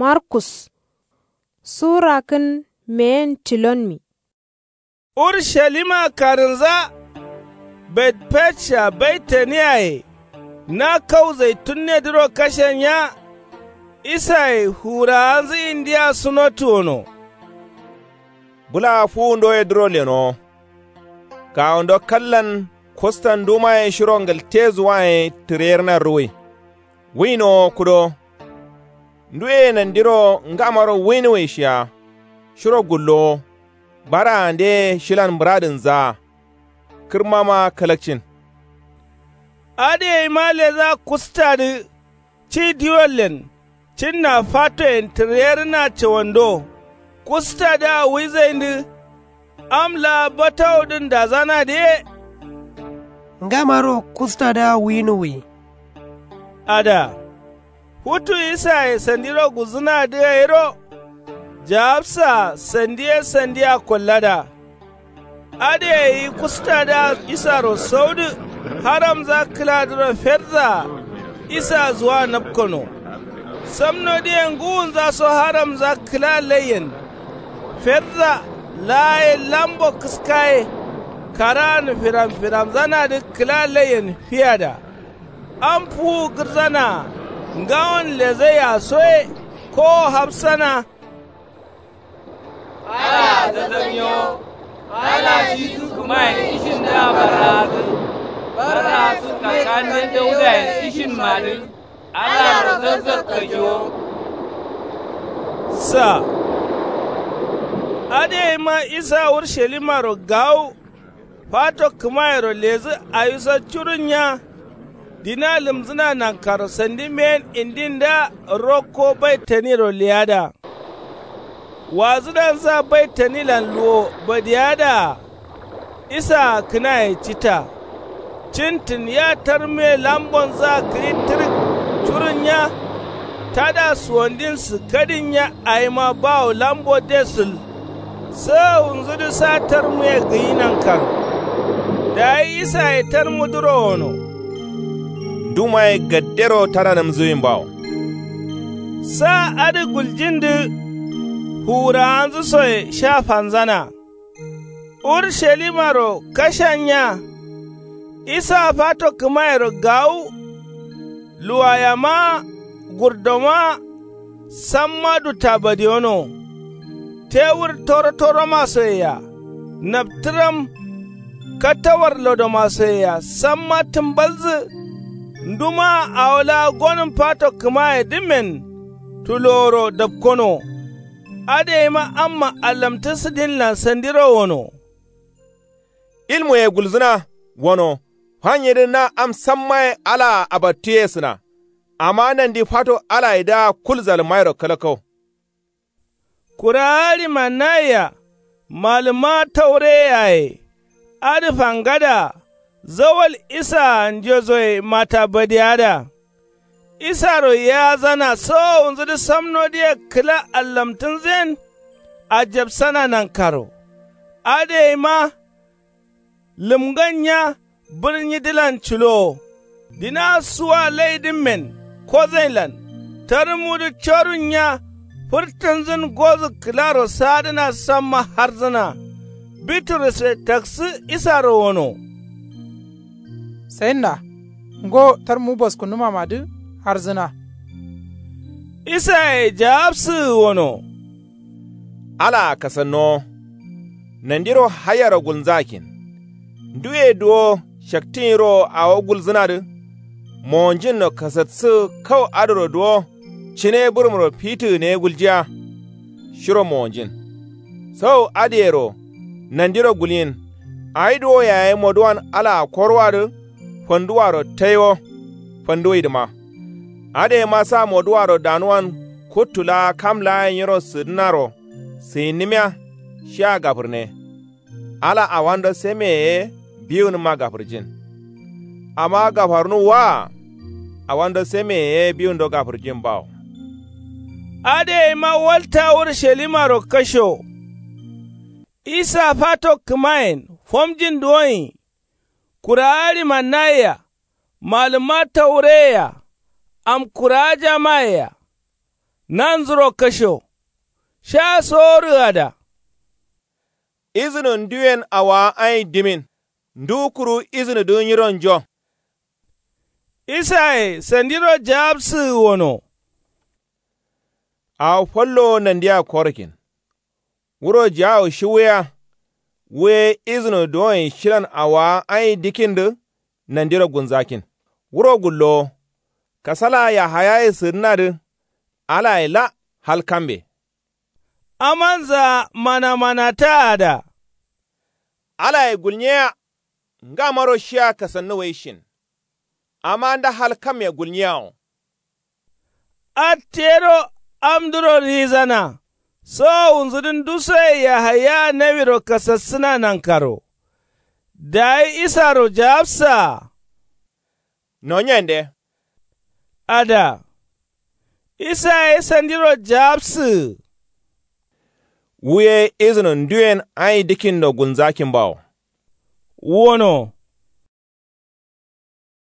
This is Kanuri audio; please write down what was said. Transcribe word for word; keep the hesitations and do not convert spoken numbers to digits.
Markus. Sura kǝn meyen tilonmi. Urushalima karǝnza, betfejsha baitaniyaye na kau zaitunne dǝro kashen nya. Isaye hurawanzǝ indiya sunotu wono. Bǝla fuwundoye dǝro lenowo. Gawundo kallan kustan ndumaye shiro ngǝltezuwaye tǝreyerna ruwui. Wuinowo kudowo. Nduye nandiro ngamaro wuinuwai shiya. Shiro gullowo. Baraandeye shilan muradǝnzaa. Kǝrmama kalakcin. Adǝ yaima leza kustadǝ. Ci diwollen cinna fatoyen tǝreyerǝna cawando. Kustadǝa wuizaindǝ. Am laa batawudǝn dazanadǝ ye. Ngamaro kustadǝa wuinuwwi. Ada. Futu isaye sandiro gulzǝnadǝ gairo. Jawabsa sandi ye sandia kollada. Adǝ yayi kustadǝa isaro saudǝ. Haramza kǝladǝro fedza. Isa zuwa napkono. Samnodǝye ngǝwunzaso haramza kǝla laiyen. Fedza laaye lambo kǝskaye. Karaanǝ firam firamzanadǝ kǝla laiyen fiyada. Am fuwu gǝrzanaa ngawon lezaiya soye. Kowo hafsana. Alaa zazzanyo. Ala shisu kǝmayen ishin dǝa barraasǝ. Barraasǝ kakande daudayen ishinmadǝ. Alaro zazzakkajiwo. Sa. Adǝ yaima isa urshalimaro gawu. Fato kǝmayero lezǝ awiso curunnya. Dina lǝmzǝna nankaro sandi meyen indindǝa rokko baitaniro leyada. Wazǝdansa baitanilan luwo badiyada-a. Isaa kǝnaye cita. Cintǝn ya tarmuye lambonzǝa gǝyi tǝrǝk. Curunnya. Tada suwandin sǝkkadinnya awima bawo lambo desǝl. Sawunzudǝ sa tarmuye gǝyi nankaro. Dayi isaye tarmudǝro wono. Ndumaye gaddero tadanǝmzǝwin bawo. Sa adǝ guljindǝ. Fuwurawanzǝsoye sha fanzana. Urshalimaro kashan nya. Isaa fato kǝmayero gawu. Luwayama. Gurdoma. Samma dutta badiyono. Tewur torotoromasoyea. Naptǝram. Kattawar lodomasoyea samma tǝmbalzǝ. Ndumaa awo laa gonǝm fato kǝmayedǝmmen. Tuloworo dapkono. Adǝ yaima amma allamtǝ sǝdinlan sandiro wono. Ilmuye gulzǝna. Wono. Fanyedǝ na am sammaye alaa abattuyesǝna. Amma nandi fato alayedǝa kul zalǝmmayero kalakkau. Kurawa ɍimannayeya. Malǝmma taureyeyaye. Adǝ fangadaa. Zawal isaa njezoye mata badiyada. Isaro yeyazana sowowunzudǝ samnodǝye kǝla allamtǝnzǝyen. Ajabsana nankaro. Adǝ yaima. Lǝmgan nya. Bǝrnyidǝlan cǝlowo. Dina suwa laidǝmmen. Kozainlan. Tarmudǝ corunnya. Fǝrtǝnzǝn gozǝ kǝlaro sadǝna samma harzǝna. Biturusre taksǝ isaro wono. Sayinna. Ngo tarmu boskunumamadǝ. Harzǝna. Isaye jawabsǝgǝ wono. Alaa kasannowo. Nandiro hayaro gulnzakin. Nduye duwo shaktǝnyirowo awo gulzǝnadǝ. Mowonjinno kasatsǝgǝ kau adǝro duwo. Cǝne bǝrǝmro fitǝgǝne guljiya. Shiro mowonjin. Sau adǝyero. Nandiro gulyin. Awi duwo yayi moduwan alaa korwadǝ. Fanduwaro taiwo. Fanduwidǝma. Adǝ yaima sa moduwaro danuwan. Kuttu laa kam laa nyiro sǝdǝnaro. Sǝyinnǝmiya. Shiya gafǝrne. Ala awando semeye ye biwunǝma gafǝrjin. Amma gafarnuwwa-a. Awando semeye ye biwundo gafǝrjin bawo. Adǝ yaima walta urshalimaro kasho. Isa fato kǝmayen fomjin duwonyi. Kurawa ɍimannayea. Malǝmma taureyeya. Amkurawa jamayea. Nanzuro kasho sha sorǝ ada. Izǝnǝ nduyen awowa ayin dimin ndu kuru izǝnǝdǝ nyironjo. Isaye sandiro jawabsǝgǝ wono. Awo fallowo nandiya korokin. Wuro jawo shi wuya. Wuye izǝno duwoyen shilan awowa ayin dikindǝ nandiro gunzakin. Wuro gullowo kasala yahayaye sǝdǝnadǝ. Alaye la hal kambe. Amanza manamanata ada. Alaye gulnyeya. Ngamaro shiya kasannu wai shin. Amma nda hal kamme gulnyeyawo. Attero amduro rizana. Sowowunzudǝ ndusoye yahaya nawiro kasassǝna nankaro. Dayi isaro jawabsa. Nonyende. Ada. Isaye sandiro jawabsǝ. Wuye izǝno nduyen ayi dikindo gunzakin bawo. Wono.